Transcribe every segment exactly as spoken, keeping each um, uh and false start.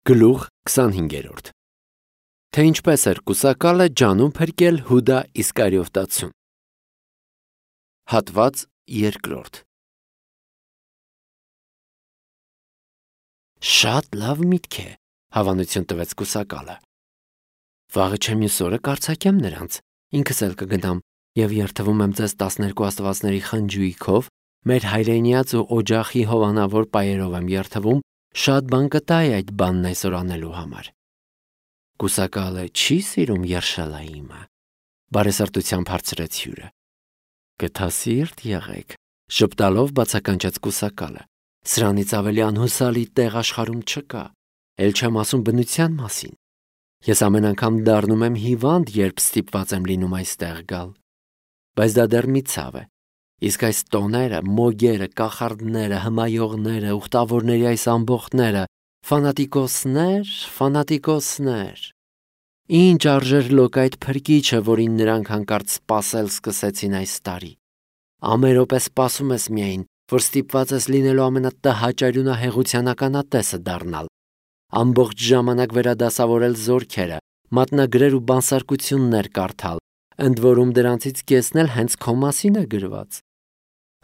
Գլուխ քսանհինգերորդ Թե ինչպես էր կուսակալը ջանում փրկել Հուդա Իսկարիովտացուն։ Հատված երկրորդ Շատ լավ միտք է, հավանություն տվեց կուսակալը։ Վաղը չեմ մյուս օրը կարձակեմ նրանց, ինքս էլ կգնամ և երդվում եմ ձեզ տասներկու աստվածների խնջույքով, մեր հայրենիած ու օջախի հովանավոր պայերով եմ երդվում, շատ բան կտայի այդ բանն այսօր անելու համար։ Կուսակալը չի սիրում երշալայիմը, բարեսրտությամբ հարցրեց հյուրը։ Գթասիրտ եղեք, ժպտալով բացականչեց կուսակալը։ Սրանից ավելի անհուսալի տեղ աշխարհում չկա, էլ չեմ ասում բնության մասին։ Ես ամեն անգամ դառնում եմ հիվանդ, երբ ստիպված եմ լինում այստեղ գալ։ Բայց դա դեռ մի ցավ է։ Իսկ այս տոները, մոգերը, կախարդները, հմայողները, ուխտավորների այս ամբոխները, ֆանատիկոսներ, ֆանատիկոսներ։ Ինչ արժեր լոկ այդ փրկիչը, որին նրանք հանկարծ սպասել սկսեցին այս տարի։ Ամեն րոպե սպասում ես միայն, որ ստիպված ես լինելու ամենատհաճարյունահեղության ականատեսը դառնալ, ամբողջ ժամանակ վերադասավորել զորքերը, մատնագրեր ու բանսարկություններ կարդալ, ընդ որում դրանցից կեսն էլ հենց քո մասին է գրված։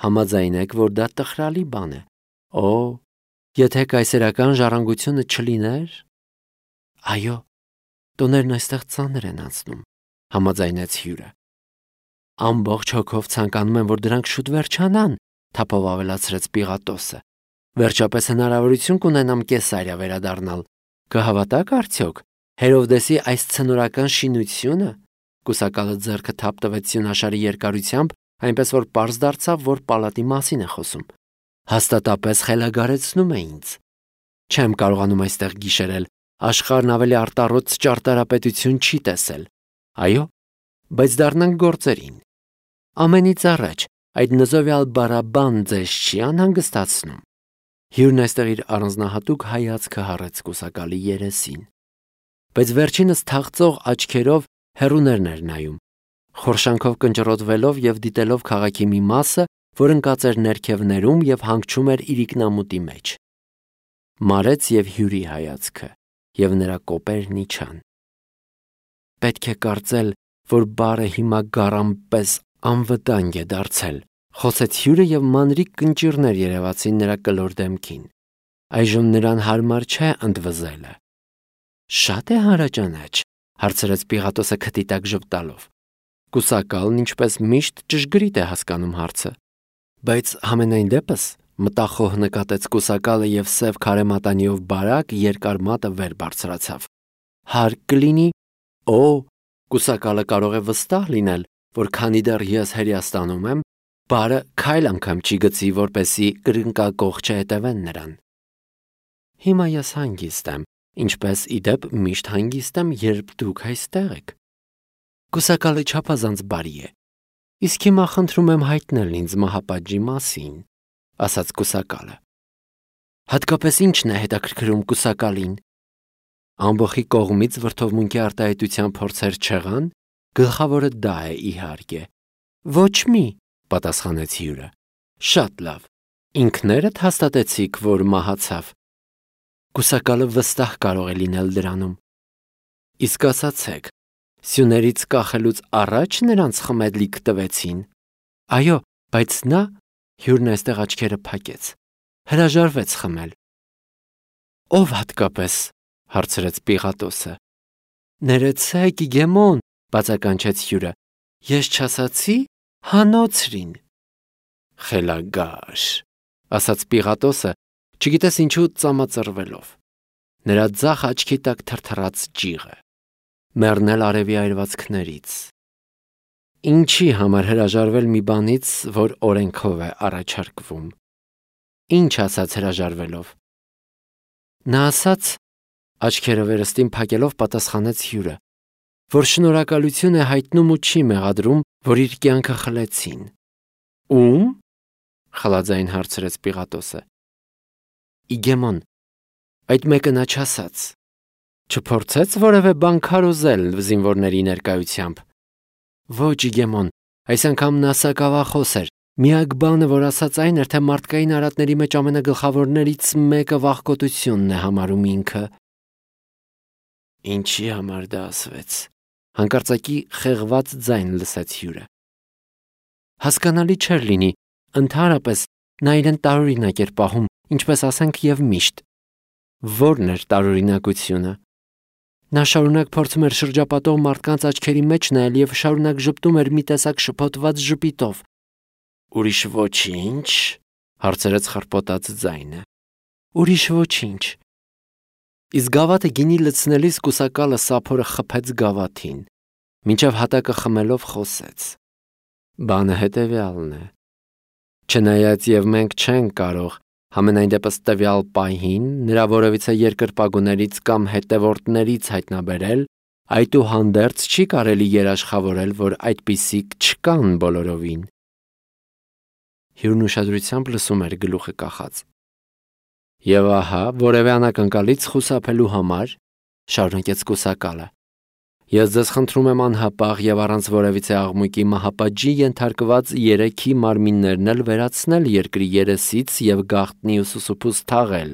Համաձայն եք, որ դա տխրալի բան է։ Օ, եթե կայսերական ժառանգությունը չլիներ։ Այո, տոներն այստեղ ծանր են անցնում, համաձայնեց հյուրը։ Ամբողջ հոգով ցանկանում եմ, որ դրանք շուտ վերջանան, թափով ավելացրեց Պիղատոսը։ Վերջապես հնարավորություն կունենամ Կեսարիա վերադառնալ։ Կհավատաք արդյոք Հերովդեսի այս ցնորական շինությունը։ Կուսակալը ձեռքը թափ տվեց սյունաշարի երկարությամբ, այնպես որ պարզ դարձավ, որ պալատի մասին է խոսում։ Հաստատապես խելագարեցնում է ինձ։ Չեմ կարողանում այստեղ գիշերել, աշխարհն ավելի արտառոց ճարտարապետություն չի տեսել։ Այո, բայց դառնանք գործերին։ Ամենից առաջ այդ նզովյալ բարաբան ձեզ չի անհանգստացնում։ Հյուրն այստեղ իր առանձնահատուկ հայացքը հառեց կուսակալի երեսին։ Բայց վերջինս թախծող աչքերով հեռուներն էր նայում, խորշանքով կնճռոտվելով և դիտելով քաղաքի մի մասը, որ ընկած էր ներքևներում և հանգչում էր իրիկնամուտի մեջ։ Մարեց և հյուրի հայացքը, և նրա կոպերն իջան։ Պետք է կարծել, որ բարը հիմա գառան պես անվտանգ է դարձել, խոսեց հյուրը և մանրիկ կնճիռներ երևացին նրա կլոր դեմքին։ Այժմ նրան հարմար չէ ընդվզելը։ Շատ է հանրաճանաչ, հարցրեց Պիղատոսը քթի տակ ժպտալով։ Կուսակալն ինչպես միշտ ճշգրիտ է հասկանում հարցը։ Բայց համենայն դեպս, մտախոհ նկատեց կուսակալը և սև քարե մատանիով բարակ երկար մատը վեր բարձրացավ։ Հարկ կլինի, օ, կուսակալը կարող է վստահ լինել, որ քանի դեռ ես Հերյաստանում եմ, բարը քայլ անգամ չի գցի, որպեսզի կրկնակոխ չհետևեն նրան։ Հիմա ես հանգիստ եմ, ինչպես ի դեպ միշտ հանգիստ եմ, երբ դուք այստեղ եք։ Կուսակալը չափազանց բարի է։ Իսկ հիմա խնդրում եմ հայտնել ինձ մահապատժի մասին, ասաց կուսակալը։ Հատկապես ի՞նչն է հետաքրքրում կուսակալին։ Ամբոխի կողմից վրդովմունքի արտահայտության փորձեր չեղան, գլխավորը դա է իհարկե։ Ոչ մի, պատասխանեց հյուրը։ Շատ լավ։ Ինքներդ հաստատեցիք, որ մահացավ։ Կուսակալը վստահ կարող է լինել դրանում։ Իսկ ասացեք, սյուներից կախելուց առաջ նրանց խմեդլիկ տվեցին։ Այո, բայց նա, հյուրն այստեղ աչքերը փակեց, հրաժարվեց խմել։ Ով հատկապես, հարցրեց Պիղատոսը։ Ներեցեք, Իգեմոն, բացականչեց հյուրը, ես չասացի հանոցրին։ Խելագար, ասաց Պիղատոսը, չգիտես ինչու ծամածռվելով։ Նրա ձախ աչքի տակ թրթռաց ջիղը։ Մեռնել արևի այրվածքներից։ Ինչի համար հրաժարվել մի բանից, որ օրենքով է առաջարկվում։ Ինչ ասաց հրաժարվելով։ Նա ասաց, աչքերը վերստին փակելով պատասխանեց հյուրը, որ շնորհակալություն է հայտնում ու չի մեղադրում, որ իր կյանքը խլեցին։ Ում? Խլաձայն հարցրեց Պիղատոսը։ Իգեմոն, այդ մեկը նա չասաց։ Չփորձեց որևէ բան քարոզել զինվորների ներկայությամբ։ Ոչ, Իգեմոն, այս անգամ նա սակավախոս էր։ Միակ բանը, որ ասաց այն էր, թե մարդկային արատների մեջ ամենագլխավորներից մեկը վախկոտությունն է համարում ինքը։ Ինչի համար դա ասվեց։ Հանկարծակի խեղված ձայն լսեց հյուրը։ Հասկանալի չէր լինի, ընդհանրապես նա իրեն տարօրինակ էր պահում, ինչպես ասենք եւ միշտ։ Որն էր տարօրինակությունը։ Նա շարունակ փորձում էր շրջապատող մարդկանց աչքերի մեջ նայել եւ շարունակ ժպտում էր մի տեսակ շփոթված ժպիտով։ Ուրիշ ոչինչ, հարցրեց խրպոտած ձայնը։ Ուրիշ ոչինչ։ Իսկ գավաթը գինի լցնելիս կուսակալը սափորը խփեց գավաթին, մինչև հատակը խմելով խոսեց։ Բանը հետևյալն է։ Չնայած եւ մենք չենք կարող համենայն դեպս տվյալ պահին նրա որևիցե երկրպագուներից կամ հետևորդներից հայտնաբերել, այդուհանդերձ չի կարելի երաշխավորել, որ այդպիսիք չկան բոլորովին։ Հյուրն ուշադրությամբ լսում էր գլուխը կախած։ Եվ ահա, որևէ անակնկալից խուսափելու համար, շարունակեց կուսակալը, ես ձեզ խնդրում եմ անհապաղ եւ առանց որևիցե աղմուկի մահապատժի ենթարկված երեքի մարմիններն էլ վերացնել երկրի երեսից եւ գաղտնի ու սուսուփուս թաղել,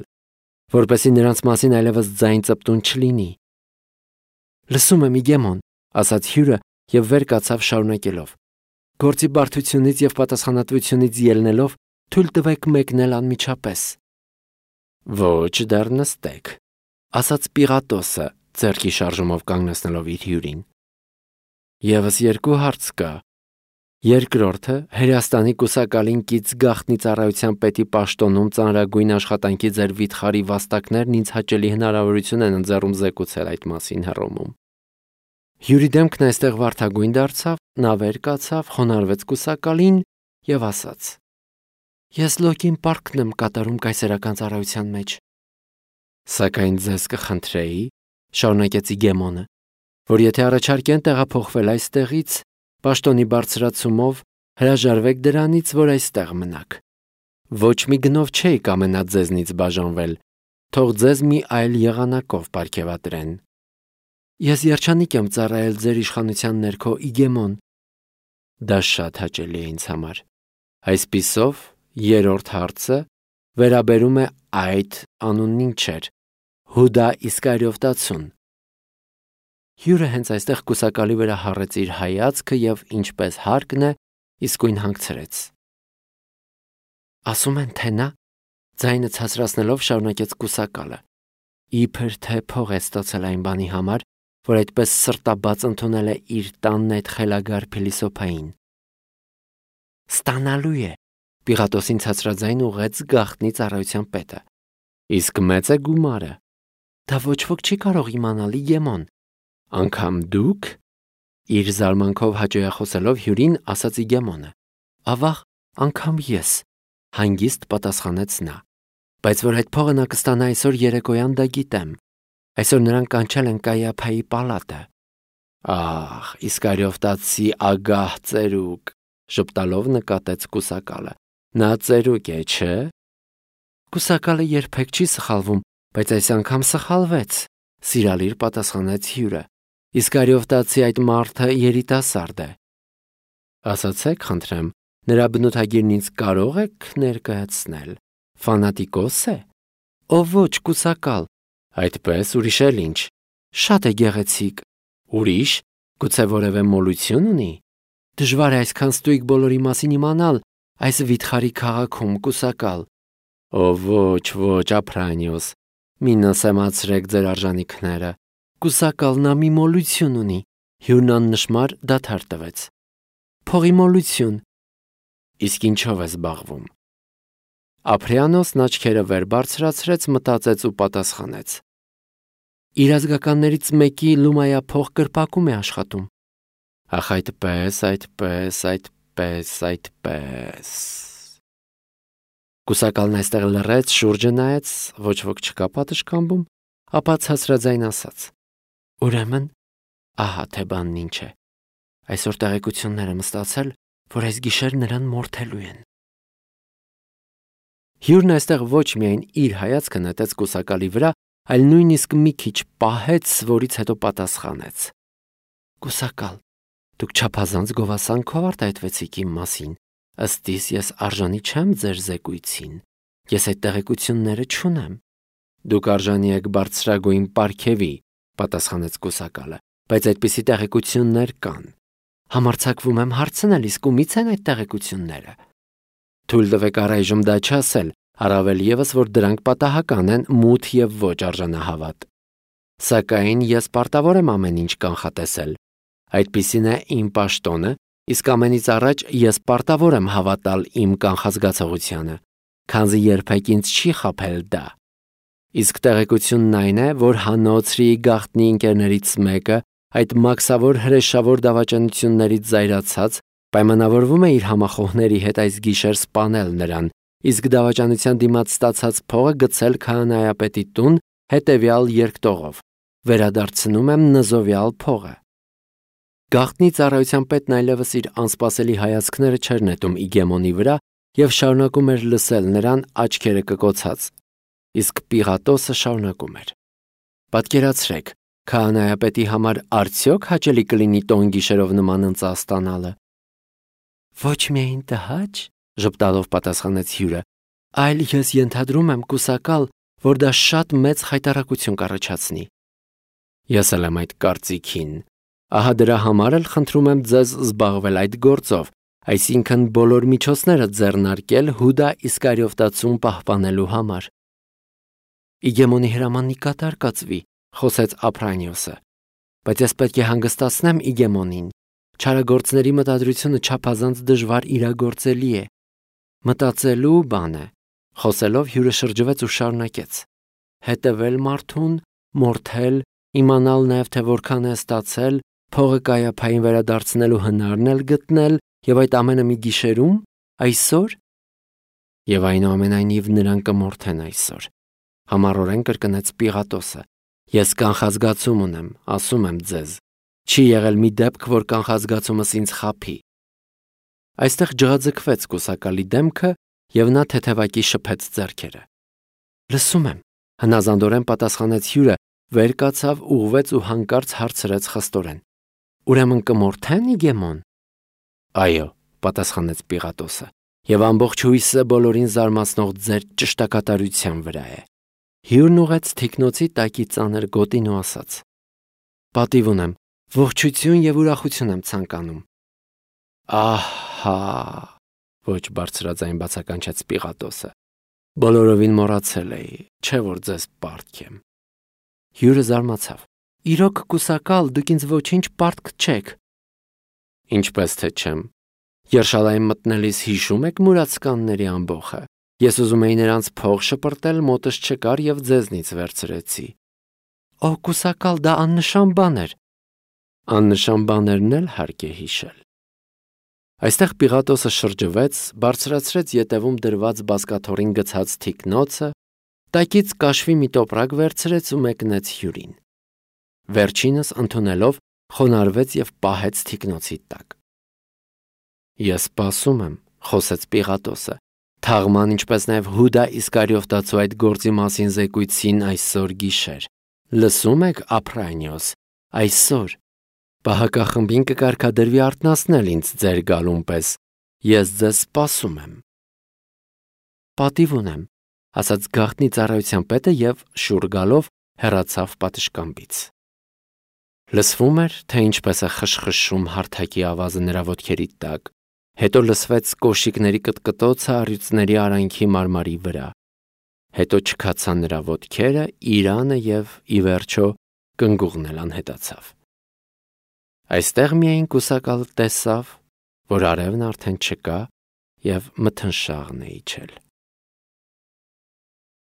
որպեսզի նրանց մասին այլևս ձայն ծպտուն չլինի։ Լսում եմ, Իգեմոն, ասաց հյուրը եւ վեր կացավ շարունակելով. Գործի բարդությունից եւ պատասխանատվությունից ելնելով թույլ տվեք մեկնել անմիջապես։ Ոչ, դեռ նստեք, ասաց Պիղատոսը, ձեռքի շարժումով կանգնեցնելով իր հյուրին։ Եվս երկու հարց կա։ Երկրորդը Հերաստանի կուսակալին կից գաղտնի ծառայության պետի պաշտոնում ծանրագույն աշխատանքի ձեր վիթխարի վաստակներն ինձ հաճելի հնարավորություն են ընձեռում զեկուցել այդ մասին Հռոմում։ Հյուրի դեմքն այստեղ վարդագույն դարձավ, նա վեր կացավ, խոնարհվեց կուսակալին եւ ասաց. Ես լոկին պարկն եմ կատարում կայսերական ծառայության մեջ։ Սակայն ձեզ կխնդրեի, շարունակեց Իգեմոնը, որ եթե առաջարկեն տեղափոխվել այստեղից, պաշտոնի բարձրացումով հրաժարվեք դրանից, որ այստեղ մնաք։ Ոչ մի գնով չէի կամենա ձեզնից բաժանվել, թող ձեզ մի այլ եղանակով պարգևատրեն։ Ես երջանիկ եմ ծառայել ձեր իշխանության ներքո, Իգեմոն։ Դա շատ հաճելի է ինձ համար։ Այսպիսով, երրորդ հարցը վերաբերում է այդ անունն ինչ էր, Հուդա Իսկարիովտացուն։ Հյուրը հենց այստեղ կուսակալի վրա հառեց իր հայացքը եւ ինչպես հարկն է, իսկույն հանգցրեց։ Ասում են, թե նա, ձայնը ցածրացնելով շարունակեց կուսակալը, իբր թե փող է ստացել այն բանի համար, որ այդպես սրտաբաց ընդունել է իր տանն այդ խելագար փիլիսոփային։ Ստանալու է, Պիղատոսին ցածրաձայն ուղեց գաղտնի ծառայության պետը։ Իսկ մեծ է գումարը։ Դա ոչ ոք չի կարող իմանալ, Իգեմոն։ Անկամ դուք, իր զարմանքով հաճոյախոսելով հյուրին, ասաց Իգեմոնը։ Ավաղ, անկամ ես, հանգիստ պատասխանեց նա։ Բայց որ այդ փողը նա կստանա այսօր երեկոյան, դա գիտեմ։ Այսօր նրան կանչել են Կայափայի պալատը։ Ահ, Իսկարիովտացի ագահ ծերուկ, ժպտալով նկատեց կուսակալը։ Նա ծերուկ է, չէ՞։ Կուսակալը երբեք չի սխալվում, բայց այս անգամ սխալվեց, սիրալիր պատասխանեց հյուրը։ Իսկարիովտացի այդ մարդը երիտասարդ է։ Ասացեք, խնդրեմ, նրա բնութագիրն ինձ կարող եք ներկայացնել։ Ֆանատիկոս է։ Ով ոչ, կուսակալ։ Այդպես, ուրիշ էլ ինչ։ Շատ է գեղեցիկ։ Ուրիշ, գուցե որևէ մոլություն ունի։ Դժվար է այսքան ստույգ բոլորի մասին իմանալ այս վիթխարի քաղաքում, կուսակալ։ Ով ոչ, ոչ, Ապրանիոս, մի նսեմացրեք ձեր արժանիքները։ Կուսակալ նա մի մոլություն ունի։ Հյուրն աննշմար դադար տվեց։ Փողի մոլություն։ Իսկ ինչով է զբաղվում։ Ապրանիոսն աչքերը վեր բարձրացրեց, մտածեց ու պատասխանեց. Իր ազգականներից մեկի լումայա փող կրպակում է աշխատում։ Ախ, այդպես, այդպես, այդպես, այդպես։ Կուսակալն այստեղ լռեց, շուրջը նայեց, ոչ ոք չկա պատշգամբում, ապա ցածրաձայն ասաց. Ուրեմն, ահա թե բանն ինչ է։ Այսօր տեղեկություններ եմ ստացել, որ այս գիշեր նրան մորթելու են։ Հյուրն այստեղ ոչ միայն իր հայացքը նետեց կուսակալի վրա, այլ նույնիսկ մի քիչ պահեց, որից հետո պատասխանեց. Կուսակալ, դուք չափազանց գովասանքով արտահայտվեցիք իմ մասին, ըստ իս ես արժանի չեմ ձեր զեկույցին, ես այդ տեղեկությունները չունեմ։ Դուք արժանի եք բարձրագույն պարգևի, պատասխանեց կուսակալը, բայց այդպիսի տեղեկություններ կան։ Համարձակվում եմ հարցնել, իսկ ումից են այդ տեղեկությունները։ Թույլ տվեք առայժմ դա չասել, առավել ևս, որ դրանք պատահական են, մութ եւ ոչ արժանահավատ։ Սակայն ես պարտավոր եմ ամեն ինչ կանխատեսել։ Այդպիսին է իմ պաշտոնը, իսկ ամենից առաջ ես պարտավոր եմ հավատալ իմ կանխազգացողությանը, քանզի երբեք ինձ չի խաբել դա։ Իսկ տեղեկությունն այն է, որ Հանոցրի գաղտնի ընկերներից մեկը այդ մաքսավոր հրեշավոր դավաճանություններից զայրացած պայմանավորվում է իր համախոհների հետ այս գիշեր սպանել նրան, իսկ դավաճանության դիմաց ստացած փողը գցել քահանայապետի տուն հետևյալ երկտողով. վերադարձնում եմ նզովյալ փողը։ Գաղտնի ծառայության պետն այլևս իր անսպասելի հայացքները չէր նետում Իգեմոնի վրա եւ շարունակում էր լսել նրան աչքերը կկոցած, իսկ Պիղատոսը շարունակում էր. Պատկերացրեք, քահանայապետի համար արդյոք հաճելի կլինի տոն գիշերով նման ընծա ստանալը։ Ոչ միայն տհաճ, ժպտալով պատասխանեց հյուրը, այլ ես ենթադրում եմ կուսակալ, որ դա շատ մեծ խայտառակություն կառաջացնի։ Ես էլ եմ այդ կարծիքին։ Ահա դրա համար էլ խնդրում եմ ձեզ զբաղվել այդ գործով, այսինքն բոլոր միջոցները ձեռնարկել Հուդա Իսկարիովտացուն պահպանելու համար։ Իգեմոնի հրամանն կատար կացվի, խոսեց Ափրանիոսը, բայց ես պետք է հանգստացնեմ Իգեմոնին։ Չարագործների մտադրությունը չափազանց դժվար իրագործելի է։ Մտածելու բան է, խոսելով հյուրը շրջվեց ու շարունակեց. հետևել մարդուն, մորթել, իմանալ նաև թե որքան է ստացել, փողը կայափային վերադարձնելու հնարն էլ գտնել եւ այդ ամենը մի գիշերում, այսօր։ Եվ այնուամենայնիվ նրան կմորթեն այսօր։ Համառորեն կրկնեց Պիղատոսը։ Ես կանխազգացում ունեմ, ասում եմ ձեզ։ Չի եղել մի դեպք, որ կանխազգացումս ինձ խաբի։ Այստեղ ջղաձգվեց կուսակալի դեմքը եւ նա թեթևակի շփեց ձեռքերը։ Լսում եմ, հնազանդորեն պատասխանեց հյուրը, վեր կացավ, ուղվեց ու հանկարծ հարցրեց խստորեն. Ուրեմն կմորթեն Իգեմոն։ Այո, պատասխանեց Պիղատոսը, եւ ամբողջ հույսը բոլորին զարմացնող ձեր ճշտակատարության վրա է։ Հյուրն ուղեց թիկնոցի տակի ծանր գոտին ու ասաց. Պատիվ ունեմ, ողջություն եւ ուրախություն եմ ցանկանում։ Ահա, ոչ բարձրաձայն բացականչեց Պիղատոսը։ Բոլորովին մոռացել էի, չէ որ ձեզ պարտք եմ։ Հյուրը զարմացավ. Իրոք կուսակալ, դուք ինձ ոչինչ պարտք չեք։ Ինչպես թե չեմ։ Երշալայում մտնելիս հիշում եք մուրացկանների ամբոխը։ Ես ուզում էի նրանց փող շպրտել, մոտս չկար եւ ձեզնից վերցրեցի։ Օ, կուսակալ, դա աննշան բան էր։ Աննշան բաներն էլ հարկ է հիշել։ Այստեղ Պիղատոսը շրջվեց, բարձրացրեց ետևում դրված բազկաթոռին գցած թիկնոցը, տակից կաշվի մի տոպրակ վերցրեց ու մեկնեց հյուրին։ Վերջինս ընդունելով խոնարհվեց եւ պահեց թիկնոցի տակ։ Ես սպասում եմ, խոսեց Պիղատոսը, թաղման ինչպես նաեւ Հուդա Իսկարիովտացու այդ գործի մասին զեկույցին այսօր գիշեր։ Լսում եք, Ափրանիոս, այսօր պահակախմբին կկարգադրվի արթնացնել ինձ ձեր գալուն պես։ Ես ձեզ սպասում եմ։ Պատիվ ունեմ, ասաց գաղտնի ծառայության պետը եւ շուռ գալով հեռացավ պատշգամբից։ Լսվում էր, թե ինչպես է խշխշում հարթակի ավազը նրա ոտքերի տակ, հետո լսվեց կոշիկների կտկտոցը առյուծների արանքի մարմարի վրա, հետո չքացան նրա ոտքերը, իրանը եւ ի վերջո կնգուղն էլ անհետացավ։ Այստեղ միայն կուսակալը տեսավ, որ արևն արդեն չկա եւ մթնշաղն է իջել։